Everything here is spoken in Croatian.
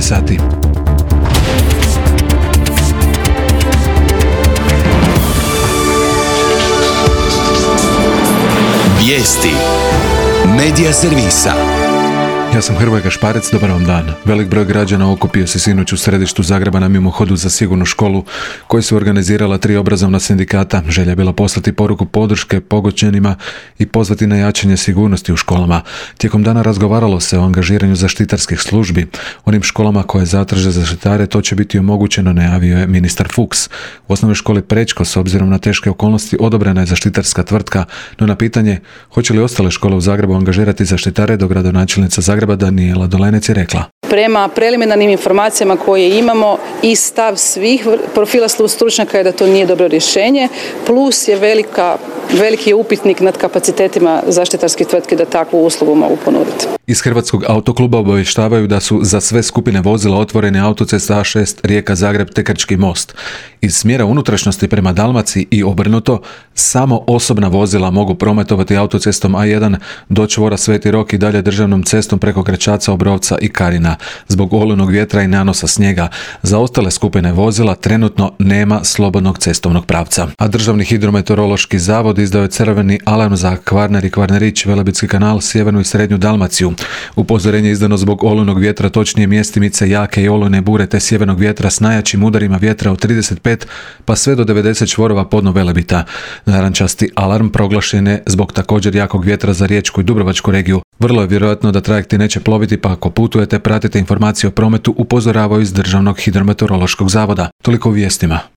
sati. Vijesti Medija servisa. Ja sam Hrvoje Gašparec, dobar vam dan. Velik broj građana okupio se sinoć u središtu Zagreba na mimohodu za sigurnu školu koju su organizirala 3 obrazovna sindikata. Želja je bila poslati poruku podrške pogođenima i pozvati na jačanje sigurnosti u školama. Tijekom dana razgovaralo se o angažiranju zaštitarskih službi. Onim školama koje zatraže zaštitare to će biti omogućeno, najavio je ministar Fuchs. U osnovnoj školi Prečko, s obzirom na teške okolnosti, odobrena je zaštitarska tvrtka, no na pitanje hoće li ostale škole u Zagrebu angažirati zaštitare, dogradonačelnica Zagreba Danijela Dolenec je rekla: Prema preliminarnim informacijama koje imamo i stav svih profila stručnjaka je da to nije dobro rješenje, plus je veliki upitnik nad kapacitetima zaštitarskih tvrtki da takvu uslugu mogu ponuditi. Iz Hrvatskog autokluba obavještavaju da su za sve skupine vozila otvorene autocesta A6 Rijeka-Zagreb te Krčki most. Iz smjera unutrašnjosti prema Dalmaciji i obrnuto, samo osobna vozila mogu prometovati autocestom A1 do čvora Sveti Rok i dalje državnom cestom preko Gračaca, Obrovca i Karina. Zbog olujnog vjetra i nanosa snijega, za ostale skupine vozila trenutno nema slobodnog cestovnog pravca. A Državni hidrometeorološki zavod izdao je crveni alarm za Kvarner i Kvarnerić, Velebitski kanal, sjevernu i srednju Dalmaciju. Upozorenje je izdano zbog olujnog vjetra, točnije mjestimice jake i olujne bure te sjevernog vjetra s najjačim udarima vjetra od 35 pa sve do 90 čvorova podno Velebita. Narančasti alarm proglašen je zbog također jakog vjetra za Riječku i Dubrovačku regiju. Vrlo je vjerojatno da trajekti neće ploviti, pa ako putujete pratite informacije o prometu, upozoravaju iz Državnog hidrometeorološkog zavoda. Toliko u vijestima.